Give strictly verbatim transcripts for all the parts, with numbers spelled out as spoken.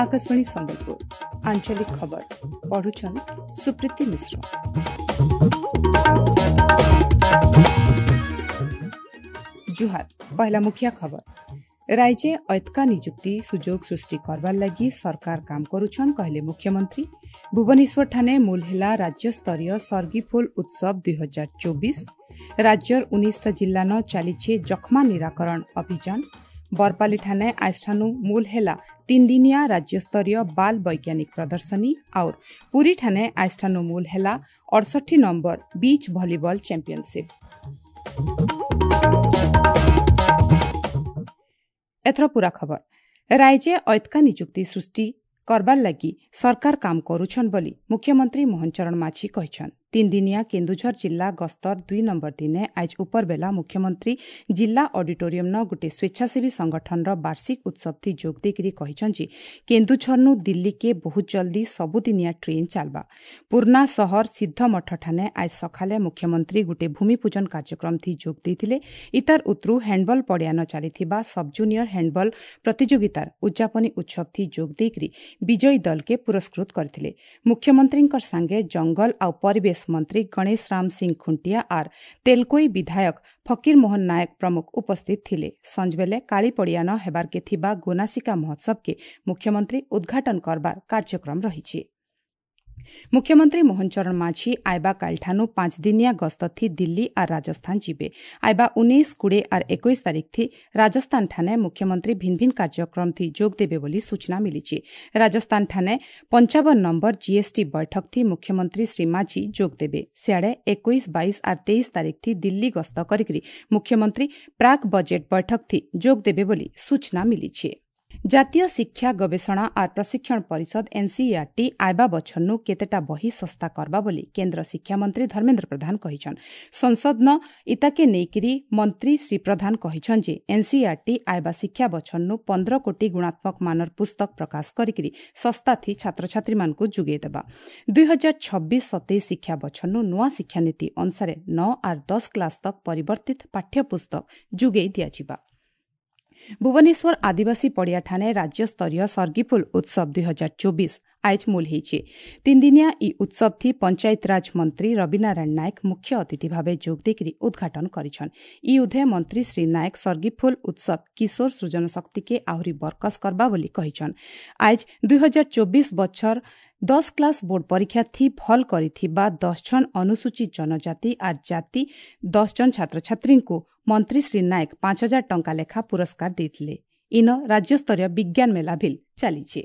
ଆକାଶବାଣୀ ସମ୍ବଲପୁର ଆଞ୍ଚଳିକ ଖବର ପଢୁଛନ୍ ସୁପ୍ରୀତି ମିଶ୍ର ଜୁହାର ପହିଲା ମୁଖିଆ ଖବର ରାଜ୍ୟ ଐତକା ନିଯୁକ୍ତି ସୁଯୋଗ ସୃଷ୍ଟି କରବାର୍ ଲାଗି ସରକାର କାମ କରୁଛନ୍ କହିଲେ ମୁଖ୍ୟମନ୍ତ୍ରୀ ଭୁବନେଶ୍ୱରଠାନେ ମୂଲ ହେଲା ରାଜ୍ୟସ୍ତରୀୟ ସର୍ଗିଫୁଲ ଉତ୍ସବ ଦୁଇ ହଜାର ଚବିଶ ରାଜ୍ୟର ଉଣେଇଶଟା ଜିଲ୍ଲାନ ଚାଲିଛେ ଯକ୍ଷ୍ମା ନିରାକରଣ ଅଭିଯାନ ବରପାଲିଠାନେ ଆଜଠାନୁ ମୂଲ ହେଲା ତିନିଦିନିଆ ରାଜ୍ୟସ୍ତରୀୟ ବାଲ ବୈଜ୍ଞାନିକ ପ୍ରଦର୍ଶନୀ ଆଉର ପୁରୀଠାନେ ଆଜଠାନୁ ମୂଲ ହେଲା ଅଡ଼ଷଠି ନମ୍ବର ବିଚ୍ ଭଲିବଲ ଚାମ୍ପିୟନସିପ୍ ଏଥର ପୂରା ଖବର ରାଜ୍ୟ ଐତକା ନିଯୁକ୍ତି ସୃଷ୍ଟି କରବାର୍ ଲାଗି ସରକାର କାମ କରୁଛନ୍ ବୋଲି ମୁଖ୍ୟମନ୍ତ୍ରୀ ମୋହନ ଚରଣ ମାଝୀ କହିଛନ୍ ତିନିଦିନିଆ କେନ୍ଦୁଝର ଜିଲ୍ଲା ଗସ୍ତର ଦୁଇ ନମ୍ବର ଦିନେ ଆଜ୍ ଉପରବେଲା ମୁଖ୍ୟମନ୍ତ୍ରୀ ଜିଲ୍ଲା ଅଡିଟୋରିୟମ୍ନ ଗୋଟିଏ ସ୍ୱେଚ୍ଛାସେବୀ ସଂଗଠନର ବାର୍ଷିକ ଉତ୍ସବଥି ଯୋଗ ଦେଇକରି କହିଛନ୍ ଯେ କେନ୍ଦୁଝରନୁ ଦିଲ୍ଲୀକେ ବହୁତ ଜଲ୍ଦି ସବୁଦିନିଆ ଟ୍ରେନ୍ ଚାଲ୍ବା ପୁର୍ନା ସହର ସିଦ୍ଧମଠଠାନେ ଆଜ୍ ସକାଳେ ମୁଖ୍ୟମନ୍ତ୍ରୀ ଗୋଟିଏ ଭୂମିପୂଜନ କାର୍ଯ୍ୟକ୍ରମଥି ଯୋଗ ଦେଇଥିଲେ ଇତାର ଉତ୍ରୁ ହ୍ୟାଣ୍ଡବଲ୍ ପଡ଼ିଆନ ଚାଲିଥିବା ସବ୍ ଜୁନିୟର ହ୍ୟାଣ୍ଡବଲ୍ ପ୍ରତିଯୋଗିତାର ଉଦ୍ଯାପନୀ ଉତ୍ସବଥି ଯୋଗ ଦେଇକରି ବିଜୟୀ ଦଲକେ ପୁରସ୍କୃତ କରିଥିଲେ ମୁଖ୍ୟମନ୍ତ୍ରୀଙ୍କର ସାଙ୍ଗେ ଜଙ୍ଗଲ ଆଉ ପରିବେଶ ମନ୍ତ୍ରୀ ଗଣେଶ ରାମ ସିଂ ଖୁଣ୍ଟିଆ ଆର୍ ତେଲକୋଇ ବିଧାୟକ ଫକୀର ମୋହନ ନାୟକ ପ୍ରମୁଖ ଉପସ୍ଥିତ ଥିଲେ ସଞ୍ଜବେଲେ କାଳିପଡ଼ିଆନ ହେବାର୍କେ ଥିବା ଗୋନାସିକା ମହୋତ୍ସବକେ ମୁଖ୍ୟମନ୍ତ୍ରୀ ଉଦ୍ଘାଟନ କରବାର କାର୍ଯ୍ୟକ୍ରମ ରହିଛି ମୁଖ୍ୟମନ୍ତ୍ରୀ ମୋହନ ଚରଣ ମାଝୀ ଆଇବା କାଲିଠାନୁ ପାଞ୍ଚ ଦିନିଆ ଗସ୍ତଥି ଦିଲ୍ଲୀ ଆର୍ ରାଜସ୍ଥାନ ଯିବେ ଆଇବା ଉଣେଇଶ କୋଡ଼ିଏ ଆର୍ ଏକୋଇଶ ତାରିଖଥି ରାଜସ୍ଥାନଠାନେ ମୁଖ୍ୟମନ୍ତ୍ରୀ ଭିନ୍ନ ଭିନ୍ନ କାର୍ଯ୍ୟକ୍ରମଥି ଯୋଗ ଦେବେ ବୋଲି ସୂଚନା ମିଳିଛି ରାଜସ୍ଥାନଠାନେ ପଞ୍ଚାବନ ନମ୍ବର ଜିଏସ୍ଟି ବୈଠକଥି ମୁଖ୍ୟମନ୍ତ୍ରୀ ଶ୍ରୀ ମାଝୀ ଯୋଗ ଦେବେ ସିଆଡ଼େ ଏକୋଇଶ ବାଇଶ ଆର୍ ତେଇଶ ତାରିଖଥି ଦିଲ୍ଲୀ ଗସ୍ତ କରିକରି ମୁଖ୍ୟମନ୍ତ୍ରୀ ପ୍ରାକ୍ ବଜେଟ୍ ବୈଠକଥି ଯୋଗ ଦେବେ ବୋଲି ସୂଚନା ମିଳିଛି ଜାତୀୟ ଶିକ୍ଷା ଗବେଷଣା ଆର୍ ପ୍ରଶିକ୍ଷଣ ପରିଷଦ ଏନ୍ସିଇଆର୍ଟି ଆଇବା ବଛରନୁ କେତେଟା ବହି ଶସ୍ତା କରବା ବୋଲି କେନ୍ଦ୍ର ଶିକ୍ଷାମନ୍ତ୍ରୀ ଧର୍ମେନ୍ଦ୍ର ପ୍ରଧାନ କହିଛନ୍ ସଂସଦନ ଇତାକେ ନେଇକିରି ମନ୍ତ୍ରୀ ଶ୍ରୀ ପ୍ରଧାନ କହିଛନ୍ ଯେ ଏନ୍ସିଇଆର୍ଟି ଆଇବା ଶିକ୍ଷା ବଛରନୁ ପନ୍ଦର କୋଟି ଗୁଣାତ୍ମକ ମାନର ପୁସ୍ତକ ପ୍ରକାଶ କରିକିରି ଶସ୍ତାଥି ଛାତ୍ରଛାତ୍ରୀମାନଙ୍କୁ ଯୋଗାଇ ଦେବା ଦୁଇ ହଜାର ଛବିଶ ସତେଇଶ ଶିକ୍ଷା ବଛରନୁ ନୂଆ ଶିକ୍ଷାନୀତି ଅନୁସାରେ ନଅ ଆର୍ ଦଶ କ୍ଲାସ୍ ତକ୍ ପରିବର୍ତ୍ତିତ ପାଠ୍ୟପୁସ୍ତକ ଯୋଗାଇ ଦିଆଯିବା ଭୁବନେଶ୍ୱର ଆଦିବାସୀ ପଡ଼ିଆଠାନେ ରାଜ୍ୟସ୍ତରୀୟ ସର୍ଗିଫୁଲ ଉତ୍ସବ ଦୁଇ ହଜାର ଚବିଶ ଆଏଜ୍ ମୂଲ ହେଇଛି ତିନିଦିନିଆ ଇ ଉତ୍ସବଥି ପଞ୍ଚାୟତରାଜ ମନ୍ତ୍ରୀ ରବିନାରାୟଣ ନାୟକ ମୁଖ୍ୟ ଅତିଥି ଭାବେ ଯୋଗ ଦେଇକରି ଉଦ୍ଘାଟନ କରିଛନ୍ ଇ ଉଧେ ମନ୍ତ୍ରୀ ଶ୍ରୀ ନାୟକ ସର୍ଗିଫୁଲ ଉତ୍ସବ କିଶୋର ସୃଜନ ଶକ୍ତିକେ ଆହୁରି ବରକସ କରବା ବୋଲି କହିଛନ୍ ଆଏଜ୍ ଦୁଇ ହଜାର ଚବିଶ ବଛର ଦଶ କ୍ଲାସ୍ ବୋର୍ଡ ପରୀକ୍ଷାଥି ଭଲ୍ କରିଥିବା ଦଶ ଜଣ ଅନୁସୂଚିତ ଜନଜାତି ଆର୍ ଜାତି ଦଶ ଜଣ ଛାତ୍ରଛାତ୍ରୀଙ୍କୁ ମନ୍ତ୍ରୀ ଶ୍ରୀ ନାୟକ ପାଞ୍ଚ ହଜାର ଟଙ୍କା ଲେଖା ପୁରସ୍କାର ଦେଇଥିଲେ ଇନ ରାଜ୍ୟସ୍ତରୀୟ ବିଜ୍ଞାନ ମେଳା ଭିଲ୍ ଚାଲିଛି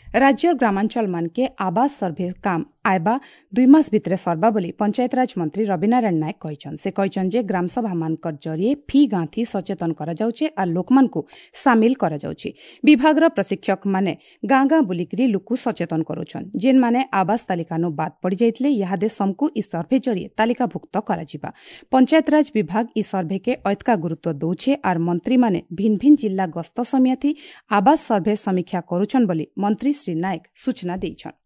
ରାଜ୍ୟର ଗ୍ରାମାଞ୍ଚଳମାନକେ ଆବାସ ସର୍ଭେ କାମ ଆଇବା ଦୁଇ ମାସ ଭିତରେ ସର୍ବା ବୋଲି ପଞ୍ଚାୟତରାଜ ମନ୍ତ୍ରୀ ରବିନାରାୟଣ ନାୟକ କହିଛନ୍ ସେ କହିଛନ୍ ଯେ ଗ୍ରାମସଭାମାନଙ୍କର ଜରିଏ ଫି ଗାଁଥି ସଚେତନ କରାଯାଉଛେ ଆର୍ ଲୋକମାନଙ୍କୁ ସାମିଲ କରାଯାଉଛି ବିଭାଗର ପ୍ରଶିକ୍ଷକମାନେ ଗାଁ ଗାଁ ବୁଲିକିରି ଲୋକକୁ ସଚେତନ କରୁଛନ୍ ଯେନ୍ମାନେ ଆବାସ ତାଲିକାନୁ ବାଦ୍ ପଡ଼ିଯାଇଥିଲେ ଇହାଦେ ସମକୁ ଇ ସର୍ଭେ ଜରିଏ ତାଲିକାଭୁକ୍ତ କରାଯିବା ପଞ୍ଚାୟତରାଜ ବିଭାଗ ଇ ସର୍ଭେକେ ଐତକା ଗୁରୁତ୍ୱ ଦଉଛେ ଆର୍ ମନ୍ତ୍ରୀମାନେ ଭିନ୍ନ ଭିନ୍ନ ଜିଲ୍ଲା ଗସ୍ତ ସମିଆଥି ଆବାସ ସର୍ଭେ ସମୀକ୍ଷା କରୁଛନ୍ ବୋଲି ମନ୍ତ୍ରୀ ଶ୍ରୀ ନାୟକ ସୂଚନା ଦେଇଛନ୍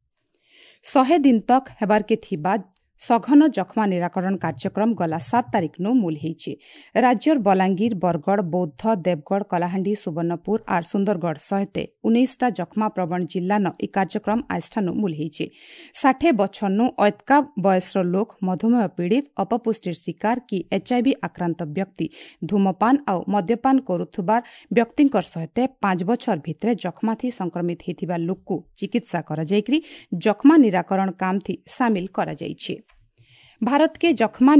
ଶହେ ଦିନ ତକ୍ ହେବାର୍କେ ଥିବା ସଘନ ଯକ୍ଷ୍ମା ନିରାକରଣ କାର୍ଯ୍ୟକ୍ରମ ଗଲା ସାତ ତାରିଖନୁ ମୂଲ ହେଇଛି ରାଜ୍ୟର ବଲାଙ୍ଗୀର ବରଗଡ଼ ବୌଦ୍ଧ ଦେବଗଡ଼ କଳାହାଣ୍ଡି ସୁବର୍ଣ୍ଣପୁର ଆର୍ ସୁନ୍ଦରଗଡ଼ ସହିତ ଉଣେଇଶଟା ଯକ୍ଷ୍ମା ପ୍ରବଣ ଜିଲ୍ଲାନ ଇ କାର୍ଯ୍ୟକ୍ରମ ଆଜଠାନୁ ମୂଲ ହେଇଛି ଷାଠେ ବଛରନୁ ଐତକା ବୟସର ଲୋକ ମଧୁମେହ ପୀଡ଼ିତ ଅପପୁଷ୍ଟିର ଶିକାର କି ଏଚ୍ଆଇଭି ଆକ୍ରାନ୍ତ ବ୍ୟକ୍ତି ଧୂମପାନ ଆଉ ମଦ୍ୟପାନ କରୁଥିବା ବ୍ୟକ୍ତିଙ୍କର ସହିତ ପାଞ୍ଚ ବଛର ଭିତରେ ଯକ୍ଷ୍ମାଥି ସଂକ୍ରମିତ ହେଇଥିବା ଲୋକକୁ ଚିକିତ୍ସା କରାଯାଇକରି ଯକ୍ଷ୍ମା ନିରାକରଣ କାମଥି ସାମିଲ କରାଯାଇଛି ଭାରତକେ ଯକ୍ଷ୍ମା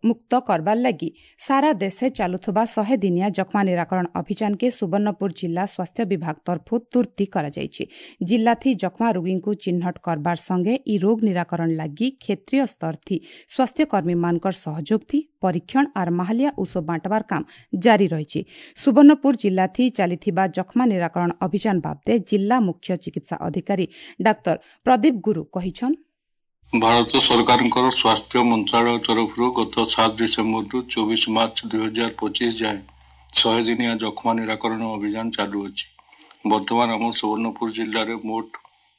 ମୁକ୍ତ କରବାର୍ ଲାଗି ସାରା ଦେଶେ ଚାଲୁଥିବା ଶହେ ଦିନିଆ ଯକ୍ଷ୍ମା ନିରାକରଣ ଅଭିଯାନକେ ସୁବର୍ଣ୍ଣପୁର ଜିଲ୍ଲା ସ୍ୱାସ୍ଥ୍ୟ ବିଭାଗ ତରଫୁ ତୁର୍ତ୍ତି କରାଯାଇଛି ଜିଲ୍ଲାଥି ଯକ୍ଷ୍ମା ରୋଗୀଙ୍କୁ ଚିହ୍ନଟ କରବାର ସଙ୍ଗେ ଇ ରୋଗ ନିରାକରଣ ଲାଗି କ୍ଷେତ୍ରୀୟ ସ୍ତରଥି ସ୍ୱାସ୍ଥ୍ୟକର୍ମୀମାନଙ୍କର ସହଯୋଗଥି ପରୀକ୍ଷଣ ଆର୍ ମାହାଲିଆ ଔଷଧ ବାଣ୍ଟବାର କାମ ଜାରି ରହିଛି ସୁବର୍ଣ୍ଣପୁର ଜିଲ୍ଲାଥି ଚାଲିଥିବା ଯକ୍ଷ୍ମା ନିରାକରଣ ଅଭିଯାନ ବାବଦେ ଜିଲ୍ଲା ମୁଖ୍ୟ ଚିକିତ୍ସା ଅଧିକାରୀ ଡାକ୍ତର ପ୍ରଦୀପ ଗୁରୁ କହିଛନ୍ ଭାରତ ସରକାରଙ୍କର ସ୍ୱାସ୍ଥ୍ୟ ମନ୍ତ୍ରାଳୟ ତରଫରୁ ଗତ ସାତ ଡିସେମ୍ବରରୁ ଚବିଶ ମାର୍ଚ୍ଚ ଦୁଇ ହଜାର ପଚିଶ ଯାଏଁ ଶହେ ଦିନିଆ ଯକ୍ଷ୍ମା ନିରାକରଣ ଅଭିଯାନ ଚାଲୁଅଛି ବର୍ତ୍ତମାନ ଆମ ସୁବର୍ଣ୍ଣପୁର ଜିଲ୍ଲାରେ ମୋଟ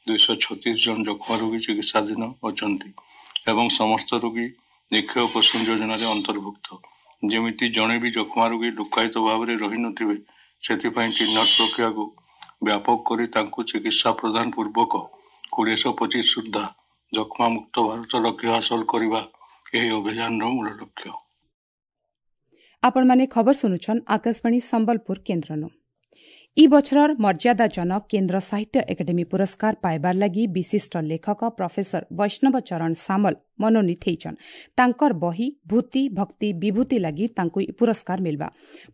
ଦୁଇଶହ ଛତିଶ ଜଣ ଯକ୍ଷ୍ମା ରୋଗୀ ଚିକିତ୍ସାଧୀନ ଅଛନ୍ତି ଏବଂ ସମସ୍ତ ରୋଗୀ ନିକ୍ଷୟ ପୋଷଣ ଯୋଜନାରେ ଅନ୍ତର୍ଭୁକ୍ତ ଯେମିତି ଜଣେ ବି ଯକ୍ଷ୍ମା ରୋଗୀ ଲୁକ୍କାୟିତ ଭାବରେ ରହିନଥିବେ, ସେଥିପାଇଁ ଚିହ୍ନଟ ପ୍ରକ୍ରିୟାକୁ ବ୍ୟାପକ କରି ତାଙ୍କୁ ଚିକିତ୍ସା ପ୍ରଦାନ ପୂର୍ବକ କୋଡ଼ିଏଶହ ପଚିଶ ସୁଦ୍ଧା ଯକ୍ଷ୍ମା ମୁକ୍ତ ଭାରତ ଲକ୍ଷ୍ୟ ହାସଲ କରିବା ଏହି ଅଭିଯାନର ମୂଳ ଲକ୍ଷ୍ୟ। ଆପଣମାନେ ଖବର ଶୁଣୁଛନ୍ ଆକାଶବାଣୀ ସମ୍ବଲପୁର କେନ୍ଦ୍ରନୁ। ଇ ବଛରର ମର୍ଯ୍ୟାଦାଜନକ କେନ୍ଦ୍ର ସାହିତ୍ୟ ଏକାଡେମୀ ପୁରସ୍କାର ପାଇବାର ଲାଗି ବିଶିଷ୍ଟ ଲେଖକ ପ୍ରଫେସର ବୈଷ୍ଣବ ଚରଣ ସାମଲ ମନୋନୀତ ହେଇଛନ୍। ତାଙ୍କର ବହି ଭୂତି ଭକ୍ତି ବିଭୂତି ଲାଗି ତାଙ୍କୁ ଇ ପୁରସ୍କାର ମିଲବା।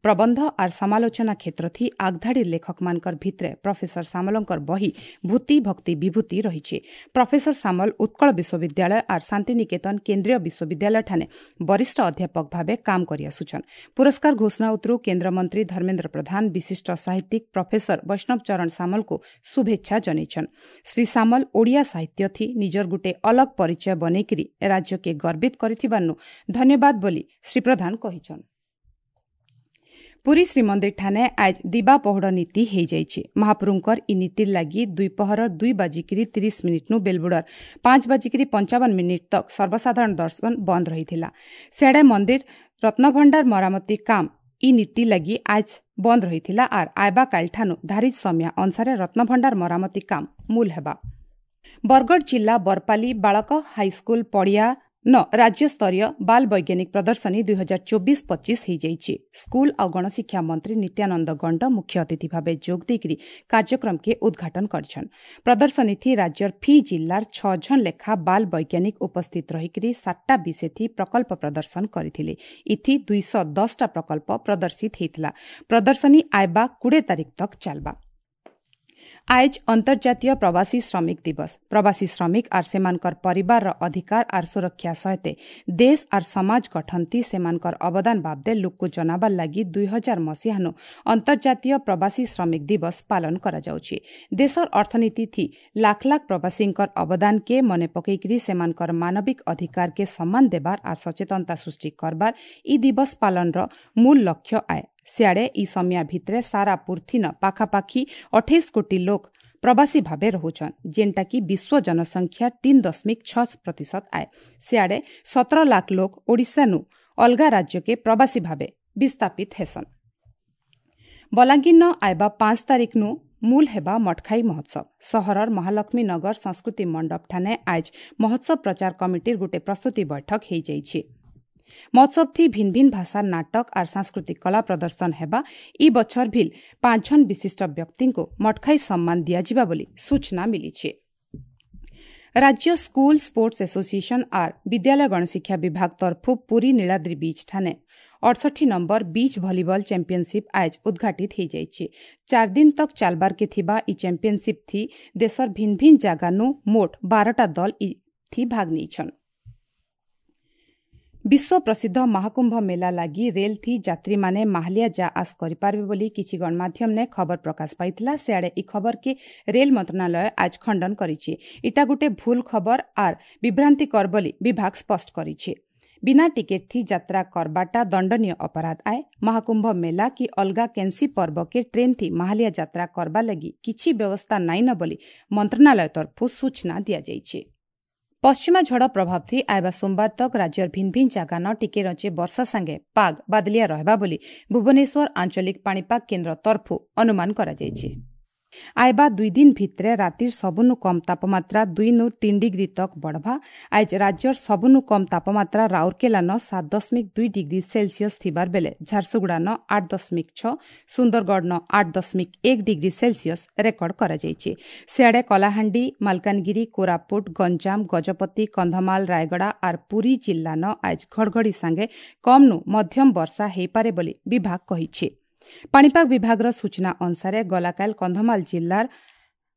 ପ୍ରବନ୍ଧ ଆର୍ ସମାଲୋଚନା କ୍ଷେତ୍ର ଥି ଆଗଧାଡ଼ିର ଲେଖକମାନଙ୍କର ଭିତରେ ପ୍ରଫେସର ସାମଲଙ୍କର ବହି ଭୂତି ଭକ୍ତି ବିଭୂତି ରହିଛି। ପ୍ରଫେସର ସାମଲ ଉତ୍କଳ ବିଶ୍ୱବିଦ୍ୟାଳୟ ଆର୍ ଶାନ୍ତିନିକେତନ କେନ୍ଦ୍ରୀୟ ବିଶ୍ୱବିଦ୍ୟାଳୟ ଠାନେ ବରିଷ୍ଠ ଅଧ୍ୟାପକ ଭାବେ କାମ କରି ଆସୁଛନ୍। ପୁରସ୍କାର ଘୋଷଣା ଉତରୁ କେନ୍ଦ୍ରମନ୍ତ୍ରୀ ଧର୍ମେନ୍ଦ୍ର ପ୍ରଧାନ ବିଶିଷ୍ଟ ସାହିତ୍ୟିକ ପ୍ରଫେସର ବୈଷ୍ଣବ ଚରଣ ସାମଲକୁ ଶୁଭେଚ୍ଛା ଜଣାଇଛନ୍। ଶ୍ରୀ ସାମଲ ଓଡ଼ିଆ ସାହିତ୍ୟ ଥି ନିଜର ଗୁଟେ ଅଲଗ ପରିଚୟ ବନେଇକିରି ରାଜ୍ୟକେ ଗର୍ବିତ କରିଥିବାରୁ ଧନ୍ୟବାଦ ବୋଲି ଶ୍ରୀ ପ୍ରଧାନ କହିଛନ୍। ପୁରୀ ଶ୍ରୀମନ୍ଦିର ଠାନେ ଆଜ୍ ଦିବା ପହୁଡ଼ ନୀତି ହେଇଯାଇଛି। ମହାପ୍ରଭୁଙ୍କର ଇ ନୀତିର ଲାଗି ଦ୍ୱିପହର ଦୁଇ ବାଜିକିରି ତିରିଶ ମିନିଟ୍ନୁ ବେଲବୁଡ଼ର ପାଞ୍ଚ ବାଜିକିରି ପଞ୍ଚାବନ ମିନିଟ୍ ତକ୍ ସର୍ବସାଧାରଣ ଦର୍ଶନ ବନ୍ଦ ରହିଥିଲା। ସିଆଡ଼େ ମନ୍ଦିର ରତ୍ନଭଣ୍ଡାର ମରାମତି କାମ ଇ ନୀତି ଲାଗି ଆଜ୍ ବନ୍ଦ ରହିଥିଲା ଆର୍ ଆଇବା କାଲିଠାନୁ ଧାରିତ ସମୟ ଅନୁସାରେ ରତ୍ନଭଣ୍ଡାର ମରାମତି କାମ ମୂଲ ହେବା। ବରଗଡ଼ ଜିଲ୍ଲା ବରପାଲି ବାଳକ ହାଇସ୍କୁଲ ପଡ଼ିଆ ନ ରାଜ୍ୟସ୍ତରୀୟ ବାଲ ବୈଜ୍ଞାନିକ ପ୍ରଦର୍ଶନୀ ଦୁଇ ହଜାର ଚବିଶ ପଚିଶ ହେଇଯାଇଛି। ସ୍କୁଲ ଆଉ ଗଣଶିକ୍ଷା ମନ୍ତ୍ରୀ ନିତ୍ୟାନନ୍ଦ ଗଣ୍ଡ ମୁଖ୍ୟ ଅତିଥି ଭାବେ ଯୋଗ ଦେଇକରି କାର୍ଯ୍ୟକ୍ରମକେ ଉଦ୍ଘାଟନ କରିଛନ୍। ପ୍ରଦର୍ଶନୀଥି ରାଜ୍ୟର ଫି ଜିଲ୍ଲାର ଛଅ ଜଣ ଲେଖା ବାଲ ବୈଜ୍ଞାନିକ ଉପସ୍ଥିତ ରହିକରି ସାତଟା ବିଷୟଥି ପ୍ରକଳ୍ପ ପ୍ରଦର୍ଶନ କରିଥିଲେ। ଇଥି ଦୁଇଶହ ଦଶଟା ପ୍ରକଳ୍ପ ପ୍ରଦର୍ଶିତ ହେଇଥିଲା। ପ୍ରଦର୍ଶନୀ ଆଇବା କୋଡ଼ିଏ ତାରିଖ ତକ୍ ଚାଲବା। ଆଏଜ୍ ଅନ୍ତର୍ଜାତୀୟ ପ୍ରବାସୀ ଶ୍ରମିକ ଦିବସ। ପ୍ରବାସୀ ଶ୍ରମିକ ଆର୍ ସେମାନଙ୍କର ପରିବାରର ଅଧିକାର ଆର୍ ସୁରକ୍ଷା ସହିତ ଦେଶ ଆର୍ ସମାଜ ଗଠନଥି ସେମାନଙ୍କର ଅବଦାନ ବାବଦେ ଲୋକକୁ ଜଣାବାର ଲାଗି ଦୁଇ ହଜାର ମସିହାନୁ ଅନ୍ତର୍ଜାତୀୟ ପ୍ରବାସୀ ଶ୍ରମିକ ଦିବସ ପାଳନ କରାଯାଉଛି। ଦେଶର ଅର୍ଥନୀତି ଥି ଲାଖ ଲାଖ ପ୍ରବାସୀଙ୍କର ଅବଦାନକେ ମନେ ପକେଇକରି ସେମାନଙ୍କର ମାନବିକ ଅଧିକାରକେ ସମ୍ମାନ ଦେବାର ଆର୍ ସଚେତନତା ସୃଷ୍ଟି କରବାର ଇ ଦିବସ ପାଳନର ମୂଳ ଲକ୍ଷ୍ୟ ଆଏ। ସିଆଡ଼େ ଇ ସମିଆ ଭିତରେ ସାରା ପୃଥିନ ପାଖାପାଖି ଅଠେଇଶ କୋଟି ଲୋକ ପ୍ରବାସୀ ଭାବେ ରହୁଛନ୍, ଯେନ୍ଟାକି ବିଶ୍ୱ ଜନସଂଖ୍ୟା ତିନି ଦଶମିକ ଛଅ ପ୍ରତିଶତ ଆଏ। ସିଆଡ଼େ ସତର ଲାଖ ଲୋକ ଓଡ଼ିଶାନୁ ଅଲଗା ରାଜ୍ୟକେ ପ୍ରବାସୀ ଭାବେ ବିସ୍ଥାପିତ ହେସନ୍। ବଲାଙ୍ଗୀରନ ଆଇବା ପାଞ୍ଚ ତାରିଖନୁ ମୂଲ ହେବା ମଠଖାଇ ମହୋତ୍ସବ। ସହରର ମହାଲକ୍ଷ୍ମୀ ନଗର ସଂସ୍କୃତି ମଣ୍ଡପ ଠାନେ ଆଜ୍ ମହୋତ୍ସବ ପ୍ରଚାର କମିଟିର ଗୋଟେ ପ୍ରସ୍ତୁତି ବୈଠକ ହେଇଯାଇଛି। ମହୋତ୍ସବ ଥି ଭିନ୍ ଭିନ୍ ଭାଷାର ନାଟକ ଆର୍ ସାଂସ୍କୃତିକ କଳା ପ୍ରଦର୍ଶନ ହେବା। ଇ ବଛର ଭିଲ୍ ପାଞ୍ଚ ଜଣ ବିଶିଷ୍ଟ ବ୍ୟକ୍ତିଙ୍କୁ ମଠଖାଇ ସମ୍ମାନ ଦିଆଯିବା ବୋଲି ସୂଚନା ମିଳିଛି। ରାଜ୍ୟ ସ୍କୁଲ ସ୍ପୋର୍ଟସ ଆସୋସିଏସନ ଆର୍ ବିଦ୍ୟାଳୟ ଗଣଶିକ୍ଷା ବିଭାଗ ତରଫୁ ପୁରୀ ନୀଳାଦ୍ରି ବିଚ୍ ଠାନେ ଅଠଷଠି ନମ୍ବର ବିଚ୍ ଭଲିବଲ ଚାମ୍ପିୟନସିପ୍ ଆଜ୍ ଉଦ୍ଘାଟିତ ହେଇଯାଇଛି। ଚାରି ଦିନ ତକ୍ ଚାଲବାରକେ ଥିବା ଇ ଚାମ୍ପିୟନସିପ୍ ଥି ଦେଶର ଭିନ୍ ଭିନ୍ ଜାଗାନୁ ମୋଟ ବାରଟା ଦଲ ଇ ଥି ଭାଗ ନେଇଛନ୍। ବିଶ୍ୱ ପ୍ରସିଦ୍ଧ ମହାକୁମ୍ଭ ମେଲା ଲାଗି ରେଲ୍ ଥି ଯାତ୍ରୀମାନେ ମାହାଲିଆ ଯା ଆସ କରିପାରିବେ ବୋଲି କିଛି ଗଣମାଧ୍ୟମନେ ଖବର ପ୍ରକାଶ ପାଇଥିଲା। ସିଆଡ଼େ ଇ ଖବରକେ ରେଲ୍ ମନ୍ତ୍ରଣାଳୟ ଆଜ୍ ଖଣ୍ଡନ କରିଛି। ଇଟା ଗୋଟେ ଭୁଲ ଖବର ଆର୍ ବିଭ୍ରାନ୍ତିକର ବୋଲି ବିଭାଗ ସ୍ପଷ୍ଟ କରିଛି। ବିନା ଟିକେଟ୍ ଥି ଯାତ୍ରା କରବାଟା ଦଣ୍ଡନୀୟ ଅପରାଧ ଆଏ। ମହାକୁମ୍ଭ ମେଲା କି ଅଲଗା କେନ୍ସି ପର୍ବକେ ଟ୍ରେନ୍ ଥି ମାହାଲିଆ ଯାତ୍ରା କରବା ଲାଗି କିଛି ବ୍ୟବସ୍ଥା ନାଇଁନ ବୋଲି ମନ୍ତ୍ରଣାଳୟ ତରଫୁ ସୂଚନା ଦିଆଯାଇଛି। ପଶ୍ଚିମା ଝଡ଼ ପ୍ରଭାବ ଥି ଆଇବା ସୋମବାର ତକ୍ ରାଜ୍ୟର ଭିନ୍ ଭିନ୍ ଜାଗାନ ଟିକେ ରଚେ ବର୍ଷା ସାଙ୍ଗେ ପାଗ ବାଦଲିଆ ରହିବା ବୋଲି ଭୁବନେଶ୍ୱର ଆଞ୍ଚଳିକ ପାଣିପାଗ କେନ୍ଦ୍ର ତରଫୁ ଅନୁମାନ କରାଯାଇଛି। ଆଇବା ଦୁଇ ଦିନ ଭିତରେ ରାତିର ସବୁନୁ କମ୍ ତାପମାତ୍ରା ଦୁଇ ନୁ ତିନି ଡିଗ୍ରୀ ତକ୍ ବଢ଼ବା। ଆଜ୍ ରାଜ୍ୟର ସବୁନୁ କମ୍ ତାପମାତ୍ରା ରାଉରକେଲା ନ ସାତ ଦଶମିକ ଦୁଇ ଡିଗ୍ରୀ ସେଲସିୟସ୍ ଥିବାର ବେଲେ ଝାରସୁଗୁଡ଼ା ନ ଆଠ ଦଶମିକ ଛଅ, ସୁନ୍ଦରଗଡ଼ ନ ଆଠ ଦଶମିକ ଏକ ଡିଗ୍ରୀ ସେଲସିୟସ୍ ରେକର୍ଡ କରାଯାଇଛି। ସିଆଡ଼େ କଳାହାଣ୍ଡି, ମାଲକାନଗିରି, କୋରାପୁଟ, ଗଞ୍ଜାମ, ଗଜପତି, କନ୍ଧମାଳ, ରାୟଗଡ଼ା ଆର୍ ପୁରୀ ଜିଲ୍ଲା ନ ଆଜ୍ ଘଡ଼ଘଡ଼ି ସାଙ୍ଗେ କମ୍ ନୁ ମଧ୍ୟମ ବର୍ଷା ହେଇପାରେ ବୋଲି ବିଭାଗ କହିଛି। ପାଣିପାଗ ବିଭାଗର ସୂଚନା ଅନୁସାରେ ଗଲାକାଲ କନ୍ଧମାଳ ଜିଲ୍ଲାର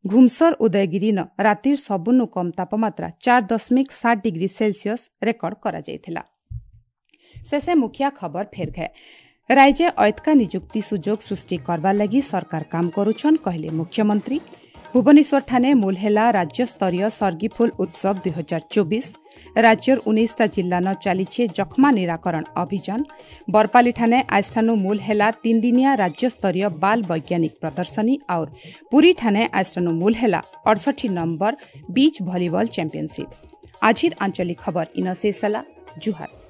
ଘୁମସର ଉଦୟଗିରି ନ ରାତିର ସବୁନୁ କମ୍ ତାପମାତ୍ରା ଚାରି ଦଶମିକ ସାତ ଡିଗ୍ରୀ ସେଲସିୟସ୍ ରେକର୍ଡ କରାଯାଇଥିଲା। ଶେଷେ ମୁଖିଆ ଖବର ଫେର ଘେ। ରାଜ୍ୟ ଐତକା ନିଯୁକ୍ତି ସୁଯୋଗ ସୃଷ୍ଟି କରବାର ଲାଗି ସରକାର କାମ କରୁଛନ୍ କହିଲେ ମୁଖ୍ୟମନ୍ତ୍ରୀ। ଭୁବନେଶ୍ୱର ଠାନେ ମୂଲ ହେଲା ରାଜ୍ୟସ୍ତରୀୟ ସର୍ଗିଫୁଲ ଉତ୍ସବ ଦୁଇ ହଜାର ଚବିଶ। ରାଜ୍ୟର ଉଣେଇଶଟା ଜିଲ୍ଲାନ ଚାଲିଛେ ଯକ୍ଷ୍ମା ନିରାକରଣ ଅଭିଯାନ। ବରପାଲି ଠାନେ ଆଜଠାନୁ ମୂଲ ହେଲା ତିନିଦିନିଆ ରାଜ୍ୟସ୍ତରୀୟ ବାଲ ବୈଜ୍ଞାନିକ ପ୍ରଦର୍ଶନୀ। ଆଉ ପୁରୀ ଠାନେ ଆଜଠାନୁ ମୂଲ ହେଲା ଅଡ଼ଷଠି ନମ୍ବର ବିଚ୍ ଭଲିବଲ ଚାମ୍ପିୟନସିପ୍। ଆଜିର ଆଞ୍ଚଳିକ ଖବର ଇନ ଶେଷ ହେଲା। ଜୁହାର।